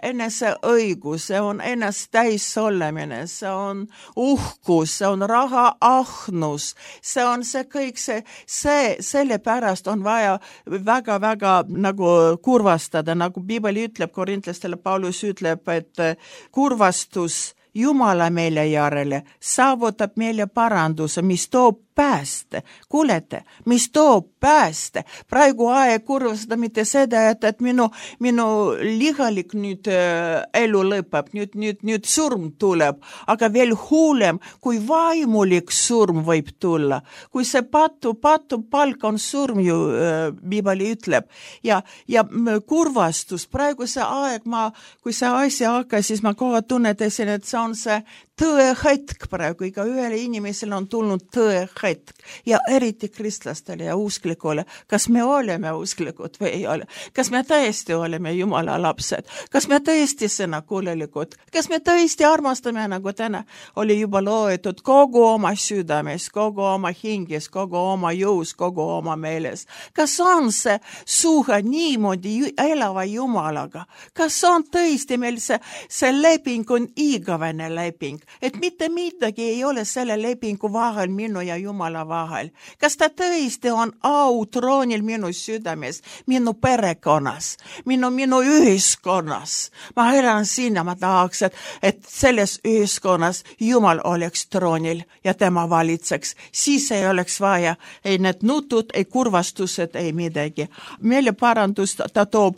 enese õigus, see on enes täis olemine, see on uhkus, see on raha ahnus, see on see kõik, see, see, selle pärast on vaja väga-väga nagu kurvastada, nagu Bibel ütleb, korintlastele Paulus ütleb, et kurvastus Jumala meile järele saavutab meile paranduse, mis toob pääste. Kuulete, mis toob pääste. Praegu aeg kurvastada mitte seda, et, et minu, minu lihalik nüüd äh, elu lõpeb, nüüd, nüüd, nüüd surm tuleb, aga veel hullem, kui vaimulik surm võib tulla. Kui see patu, patu palk on surm ju, äh, Bibeli ütleb. Ja, ja kurvastus, praegu see aeg, ma, kui see asi hakkas, siis ma kohe tunnetasin, et see on see tõe hetk praegu, iga ühele inimesele on tulnud tõe hetk ja eriti kristlastele ja usklikule. Kas me oleme usklikud või ei ole? Kas me tõesti oleme Jumala lapsed? Kas me tõesti sõnakuulelikud? Kas me tõesti armastame, nagu täna oli juba loetud, kogu oma südames, kogu oma hinges, kogu oma jõus, kogu oma meeles? Kas on see suhe niimoodi elava Jumalaga? Kas on tõesti meil see, see leping on igavene leping? Et mitte midagi ei ole selle lepingu vahel minu ja Jumala vahel. Kas ta tõesti on au troonil minu südames, minu perekonnas, minu, minu ühiskonnas? Ma elan siin ja ma tahaks, et, et selles ühiskonnas Jumal oleks troonil ja tema valitseks. Siis ei oleks vaja ei need nutud, ei kurvastused, ei midagi. Meile parandus ta toob,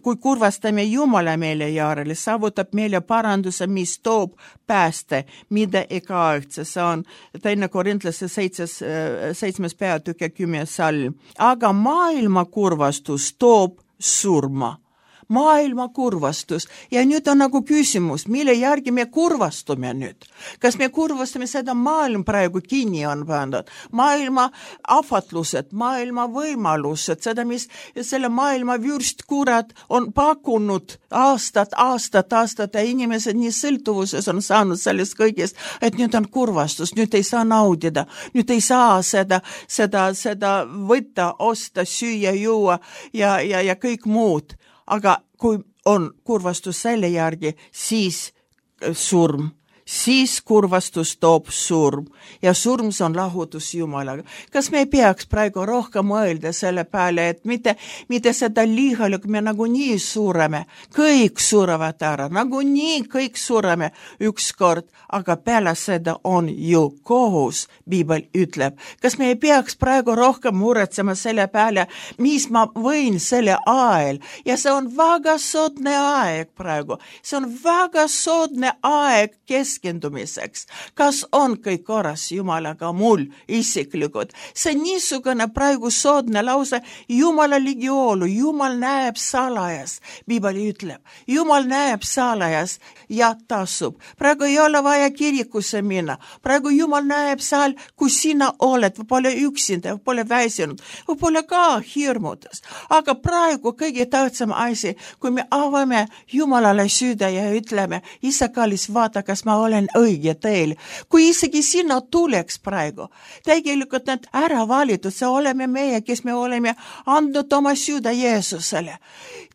kui kurvastame Jumala meile järele, saavutab meile paranduse, mis toob pääste, mida ega-aegse, see on teine korintlaste seitses, seitsmes peatükk ja kümnes salm. Aga maailma kurvastus toob surma. Maailma kurvastus. Ja nüüd on nagu küsimus, mille järgi me kurvastume nüüd? Kas me kurvastame seda maailm praegu kinni on pandud? Maailma ahvatlused, maailma võimalused, seda, mis selle maailma vürstkurat on pakkunud aastat, aastat, aastat ja inimesed nii sõltuvuses on saanud sellest kõigest, et nüüd on kurvastus, nüüd ei saa naudida, nüüd ei saa seda, seda, seda võtta, osta, süüa, juua ja, ja, ja kõik muud. Aga kui on kurvastus selle järgi, siis surm, siis kurvastus toob surm ja surm on lahutus Jumalaga. Kas me ei peaks praegu rohkem mõelda selle peale, et mitte, mitte seda lihalikku me nagu nii sureme, kõik surevad ära, nagu nii kõik sureme ükskord, aga peale seda on ju kohus, Piibel ütleb. Kas me ei peaks praegu rohkem muretsema selle peale, mis ma võin selle ajal ja see on väga soodne aeg praegu, see on väga soodne aeg keskendumiseks. Kas on kõik korras Jumalaga mul isiklikud? See niisugune praegu soodne lause, Jumala ligioolu, Jumal näeb salajas, Piibel ütleb. Jumal näeb salajas ja tasub. Praegu ei ole vaja kirikusse minna. Praegu Jumal näeb seal, kus sina oled, pole üksinda, pole väsinud, pole ka hirmutas. Aga praegu kõige tähtsam asi, kui me avame Jumalale süda ja ütleme, Isa kallis, vaata, kas ma olen õige teel. Kui isegi sina tuleks praegu, tegelikult need ära valitud, see oleme meie, kes me oleme andnud oma süda Jeesusele.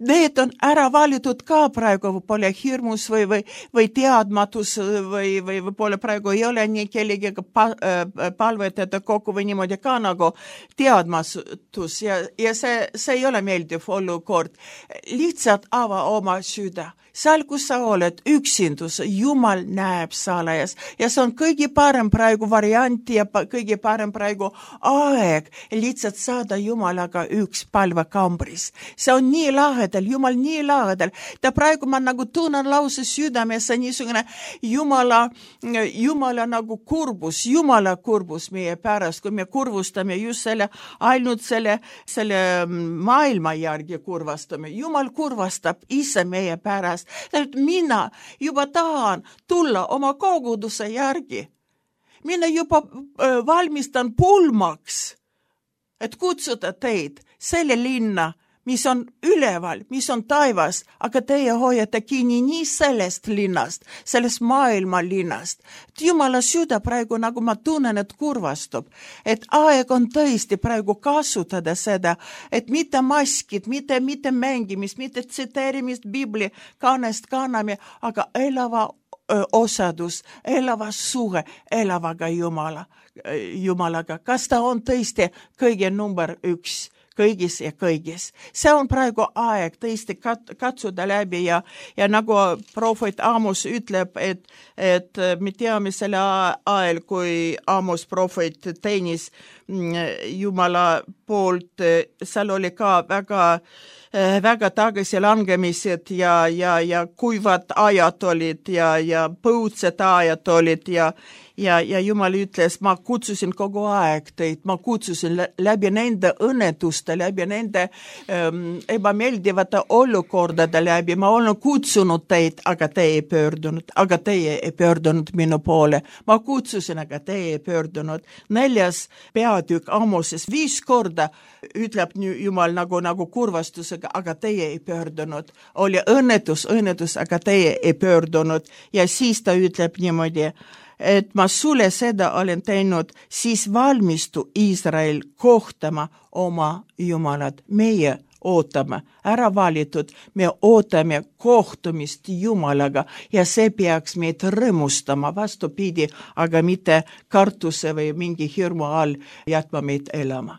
Need on ära valitud ka praegu, pole hirmus või, või, või teadmatus või, või pole praegu ei ole nii kellegagi palvetada kokku või niimoodi ka nagu teadmatus ja, ja see, see ei ole meeldiv olukord. Lihtsalt ava oma süda. Seal, kus sa oled, üksindus, Jumal näeb salajas ja see on kõige parem praegu variant ja kõige parem praegu aeg lihtsalt saada Jumalaga üks palvekambris. See on nii lahedal, Jumal nii lahedal. Ta praegu ma nagu tunnen lause südames, see niisugune Jumala, Jumala nagu kurbus, Jumala kurbus meie pärast, kui me kurvustame just selle, ainult selle, selle maailma järgi kurvastame. Jumal kurvastab ise meie pärast. Mina juba tahan tulla oma koguduse järgi. Mina juba valmistan pulmaks, et kutsuda teid selle linna, mis on üleval, mis on taivas, aga teie hoiate kinni nii sellest linnast, sellest maailma linnast. Jumala süda praegu, nagu ma tunnen, et kurvastub, et aeg on tõesti praegu kasutada seda, et mitte maskid, mitte, mitte mängimist, mitte tsiteerimist Bibli kannest kanname, aga elava osadus, elava suhe, elavaga Jumala, Jumalaga. Kas ta on tõesti kõige number üks? Kõigis ja kõigis. See on praegu aeg tõesti kat- katsuda läbi ja, ja nagu prohvet Amos ütleb, et, et me teame selle ajal, kui Amos prohvet teenis Jumala poolt, seal oli ka väga väga tagasilangemised ja, ja, ja kuivad ajad olid ja, ja põudsed ajad olid ja, ja, ja Jumal ütles, ma kutsusin kogu aeg teid, ma kutsusin läbi nende õnnetuste, läbi nende ähm, ebameeldivate olukordade läbi, ma olen kutsunud teid, aga teie ei pöördunud, aga teie ei pöördunud minu poole. Ma kutsusin, aga teie ei pöördunud. Neljas peatükk Amoses viis korda ütleb Jumal nagu, nagu kurvastusega, aga teie ei pöördunud. Oli õnnetus, õnnetus, aga teie ei pöördunud. Ja siis ta ütleb niimoodi, et ma sulle seda olen teinud, siis valmistu Iisrael kohtama oma Jumalat. Meie ootame, ära valitud, me ootame kohtumist Jumalaga ja see peaks meid rõõmustama vastupidi, aga mitte kartuse või mingi hirmu all jätma meid elama.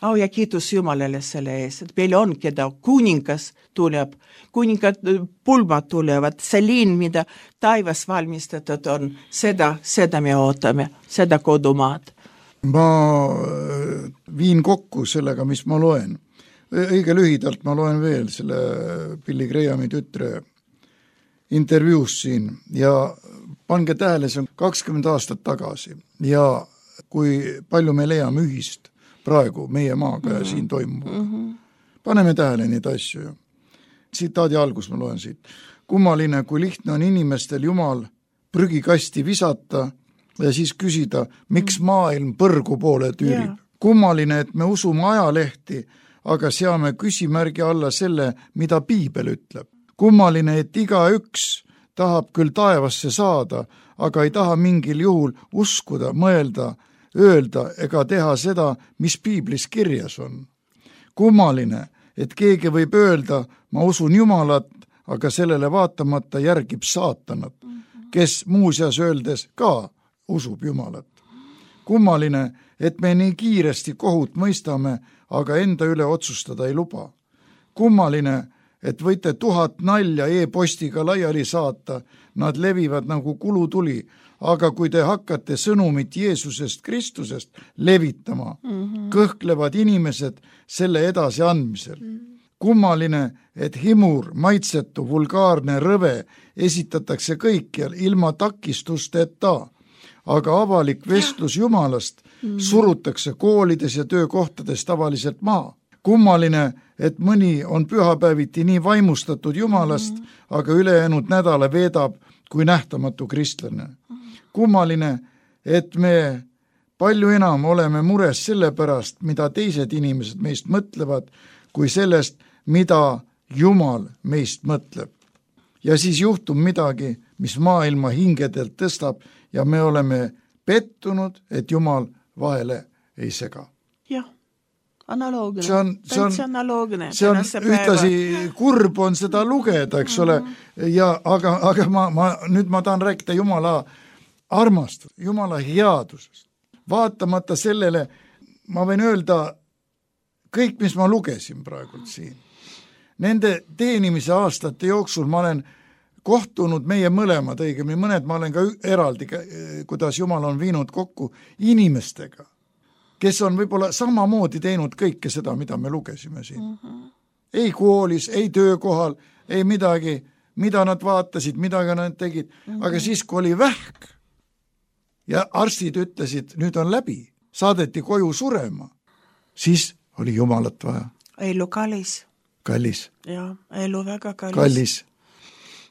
Au ja kiitus Jumalale selle ees, et meil on, keda kuningas tuleb, kuningad pulmad tulevad, see linn, mida taivas valmistatud on, seda, seda me ootame, seda kodumaad. Ma viin kokku sellega, mis ma loen. Õige lühidalt ma loen veel selle Billy Grahami tütre intervjuus siin ja pange tähele, see on kakskümmend aastat tagasi ja kui palju me leiame ühist praegu meie maaga ja siin toimub. Mm-hmm. Paneme tähele neid asju. Tsitaadi algus ma loen siit. Kummaline, kui lihtne on inimestel Jumal prügikasti visata ja siis küsida, miks maailm põrgu poole tüürib. Yeah. Kummaline, et me usume ajalehti, aga seame küsimärgi alla selle, mida Piibel ütleb. Kummaline, et iga üks tahab küll taevasse saada, aga ei taha mingil juhul uskuda, mõelda, öelda ega teha seda, mis Piiblis kirjas on. Kummaline, et keegi võib öelda, ma usun Jumalat, aga sellele vaatamata järgib saatanat. kes muuseas öeldes ka usub Jumalat. Kummaline, et me nii kiiresti kohut mõistame, aga enda üle otsustada ei luba. Kummaline, et võite tuhat nalja e-postiga laiali saata, nad levivad nagu kulutuli, aga kui te hakkate sõnumit Jeesusest Kristusest levitama, mm-hmm. kõhklevad inimesed selle edasi andmisel. Mm-hmm. Kummaline, et himur, maitsetu, vulgaarne rõve esitatakse kõikjal ilma takistusteta, aga avalik vestlus Jumalast mm-hmm. surutakse koolides ja töökohtades tavaliselt maha. Kummaline, et mõni on pühapäeviti nii vaimustatud Jumalast, mm-hmm. aga ülejäänud nädala veedab kui nähtamatu kristlane. Kummaline, et me palju enam oleme mures selle pärast, mida teised inimesed meist mõtlevad, kui sellest, mida Jumal meist mõtleb. Ja siis juhtub midagi, mis maailma hingedelt tõstab ja me oleme pettunud, et Jumal vahele ei sega. Jah. Analoogne, see on, see on, analoogne, see on ühtlasi kurb on seda lugeda, eks ole, ja aga, aga ma, ma, nüüd ma tahan rääkida Jumala armastus, Jumala headusest. Vaatamata sellele, ma võin öelda, kõik, mis ma lugesin praegult siin, nende teenimise aastate jooksul ma olen kohtunud meie mõlemad, õigemini mõned ma olen ka eraldi, kuidas Jumal on viinud kokku inimestega, kes on võib-olla samamoodi teinud kõike seda, mida me lugesime siin. Mm-hmm. Ei koolis, ei töökohal, ei midagi, mida nad vaatasid, mida nad tegid, mm-hmm. aga siis, kui oli vähk ja arstid ütlesid, nüüd on läbi, saadeti koju surema, siis oli Jumalat vaja. Elu kallis. Kallis. Ja, elu väga kallis. Kallis.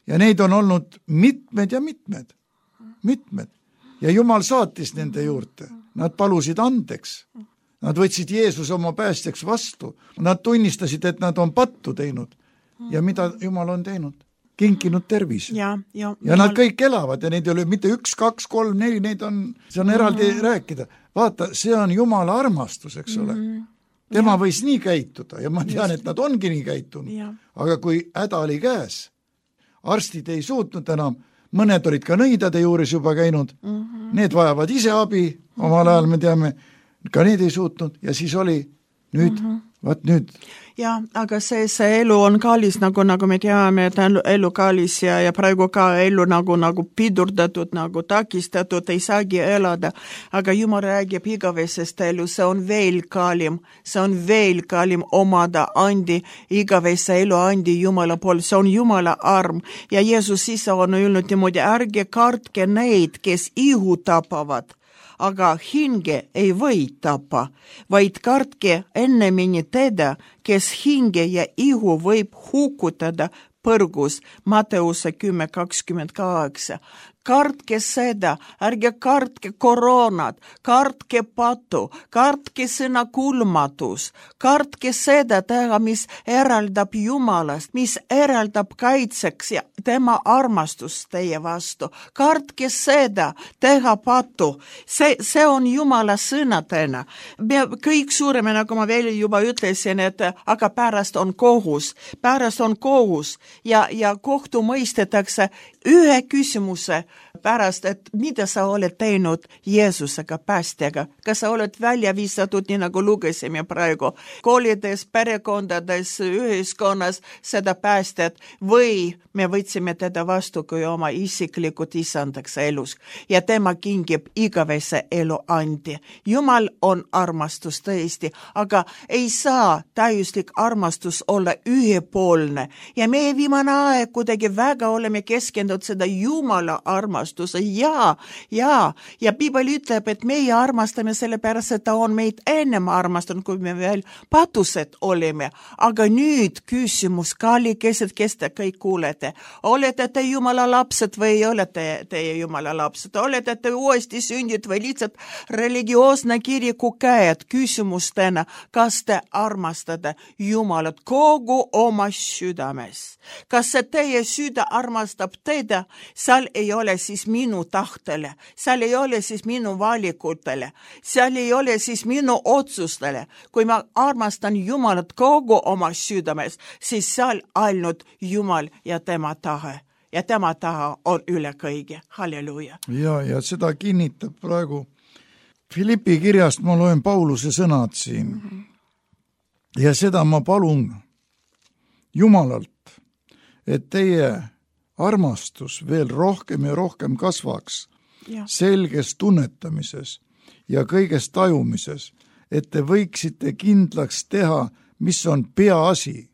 Ja neid on olnud mitmed ja mitmed, mitmed. Ja Jumal saatis nende juurde. Nad palusid andeks. Nad võtsid Jeesuse oma päästjaks vastu. Nad tunnistasid, et nad on pattu teinud. Ja mida Jumal on teinud? Kinkinud tervis. Ja, ja, ja Jumal... nad kõik elavad ja neid ei ole mitte üks, kaks, kolm, neli, neid on, see on eraldi mm-hmm. rääkida. Vaata, see on Jumala armastus, eks ole. Mm-hmm. Tema ja. Võis nii käituda ja ma tean, et nad ongi nii käitunud. Ja. Aga kui häda oli käes, arstid ei suutnud enam, mõned olid ka nõidade juures juba käinud, mm-hmm. need vajavad ise abi, omal ajal me teame, ka need ei suutnud ja siis oli nüüd, mm-hmm. vaat nüüd. Ja, aga see, see elu on kallis, nagu, nagu me teame, et elu kallis ja, ja praegu ka elu nagu, nagu pidurdatud, nagu takistatud, ei saagi elada, aga Jumal räägib igavesest elu, see on veel kallim, see on veel kallim omada andi, igavese elu andi Jumala pool, see on Jumala arm ja Jeesus ise on öelnud niimoodi, ärge kartke neid, kes ihu tapavad, aga hinge ei või tapa, vaid kartke ennemini teda, kes hinge ja ihu võib hukutada põrgus, Matteuse kümme kakskümmend kaheksa. Kartke seda, ärge kartke koroonat, kartke patu, kartke sõna kulmatus, kartke seda teha, mis eraldab Jumalast, mis eraldab kaitseks ja tema armastus teie vastu. Kartke seda, teha patu. See, see on Jumala sõnadena. Me kõik suureme, nagu ma veel juba ütlesin, et aga pärast on kohus, pärast on kohus ja, ja kohtu mõistetakse ühe küsimuse pärast, et mida sa oled teinud Jeesusega, päästjaga. Kas sa oled välja visatud, nii nagu lugesime praegu, koolides, perekondades, ühiskonnas seda päästjat või me võtsime teda vastu kui oma isiklikud isandaks elus ja tema kingib igavese elu andi. Jumal on armastus tõesti, aga ei saa täiuslik armastus olla ühepoolne ja meie viimane aeg kuidagi väga oleme keskendunud seda Jumala armastuse ja, ja, ja Piibel ütleb, et meie armastame sellepärast, et ta on meid ennem armastanud, kui me veel patused olime. Aga nüüd küsimus, kallikesed, kes te kõik kuulete, olete te Jumala lapsed või ei ole te, teie Jumala lapsed, olete te uuesti sündid või lihtsalt religioosne kiriku käed küsimustena, kas te armastate Jumalat kogu oma südames. Kas see teie süda armastab teda, seal ei ole siis minu tahtele, seal ei ole siis minu valikutele, seal ei ole siis minu otsustele. Kui ma armastan Jumalat kogu oma südames, siis seal ainult Jumal ja tema tahe. ja tema taha on üle kõige. Halleluuja. Ja, ja seda kinnitab praegu Philippi kirjast, ma loen Pauluse sõnad siin. Mm-hmm. Ja seda ma palun Jumalalt, et teie armastus veel rohkem ja rohkem kasvaks ja. Selges tunnetamises ja kõiges tajumises, et te võiksite kindlaks teha, mis on peaasi.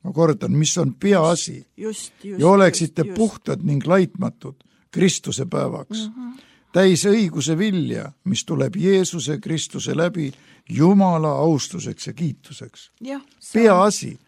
Ma kordan, mis on peaasi. Just, just, ja oleksite just, just. puhtad ning laitmatud Kristuse päevaks. Mm-hmm. Täis õiguse vilja, mis tuleb Jeesuse Kristuse läbi Jumala austuseks ja kiituseks. Ja, peaasi.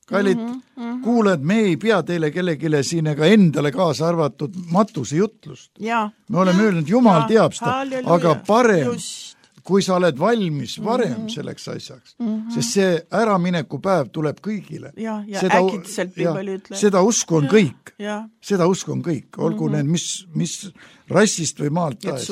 Kallid, mm-hmm, mm-hmm. kuuled, me ei pea teile kellegile siin ega endale kaasa arvatud matuse jutlust. Ja, me oleme ja, öelnud, Jumal ja, teab seda, halleluja. Aga parem, just. Kui sa oled valmis varem mm-hmm. selleks asjaks, mm-hmm. sest see äramineku päev tuleb kõigile. Ja, ja seda, äkitselt piibel ütleb. Seda usku on ja, kõik. Ja. Seda usku on kõik. Olgu mm-hmm. need, mis, mis rassist või maalt taes.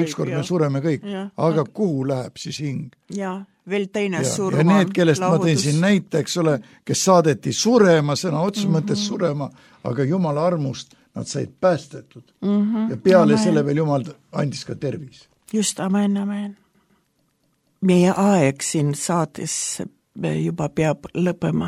Ükskord me sureme kõik. Ja. Aga kuhu läheb siis hing? Ja, veel teine ja. Surma. Ja need, kellest lahutus. Ma tõin siin näite, eks ole, kes saadeti surema, sõna otsus mm-hmm. mõttes surema, aga Jumala armust nad said päästetud. Mm-hmm. Ja peale amen. Selle veel Jumal andis ka tervis. Just, amen, amen. Meie aeg siin saates juba peab lõppema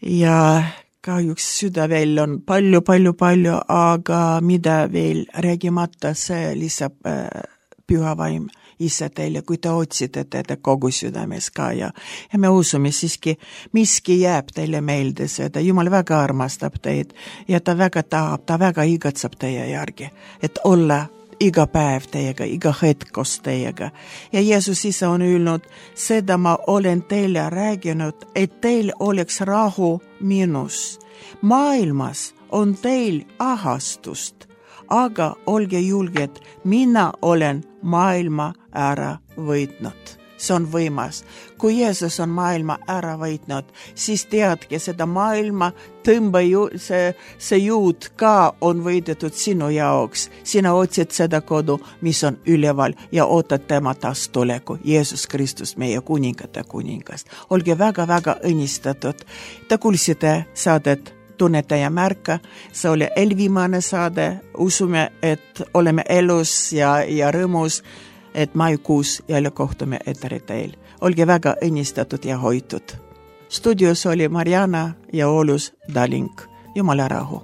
ja kahjuks süda veel on palju, palju, palju, aga mida veel räägimata, see lisab äh, püha vaim ise teile, kui te otsite teda kogu südames ka ja, ja me usume siiski, miski jääb teile meelde seda, Jumal väga armastab teid ja ta väga tahab, ta väga igatseb teie järgi, et olla iga päev teiega, iga hetk koos teiega. Ja Jeesus ise on öelnud, seda ma olen teile rääginud, et teil oleks rahu minus. Maailmas on teil ahastust, aga olge julged, mina olen maailma ära võitnud. See on võimas. Kui Jeesus on maailma ära võitnud, siis teadke seda maailma tõmba ju, see, see jõud ka on võidetud sinu jaoks. Sina otsid seda kodu, mis on üleval ja ootad tema taas tuleku. Jeesus Kristus, meie kuningate kuningast. Olge väga-väga õnnistatud. Te kuulsite saadet Tunnetaja märka. See oli eelviimane saade. Usume, et oleme elus ja, ja rõõmus, et maikuus jälle kohtume eteri teil. Olge väga õnnistatud ja hoitud. Studios oli Mariana ja Olus Daling. Jumala rahu.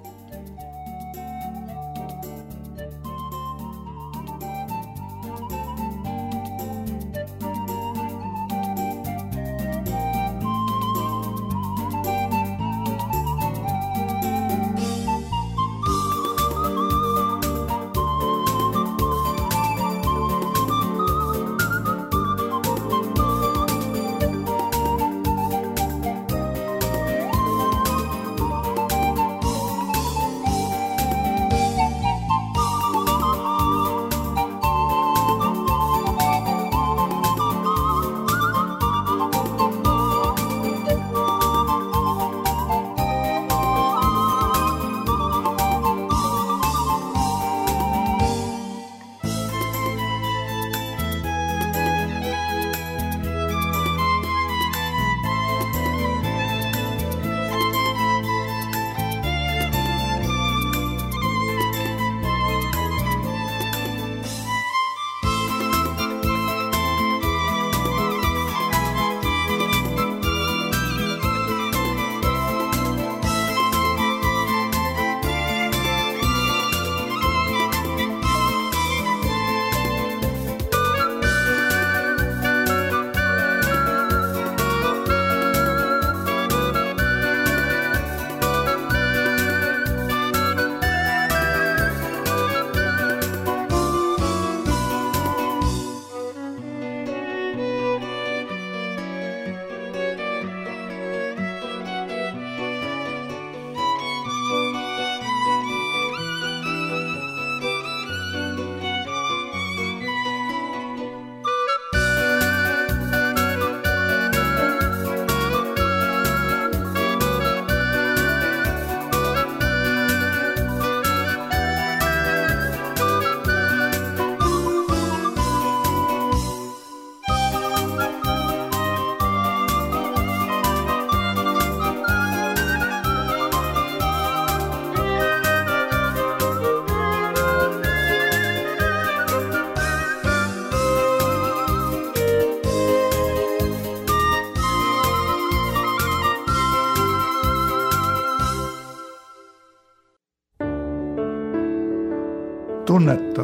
tunneta.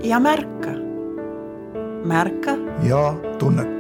Ja märka. Märka. Ja tunneta.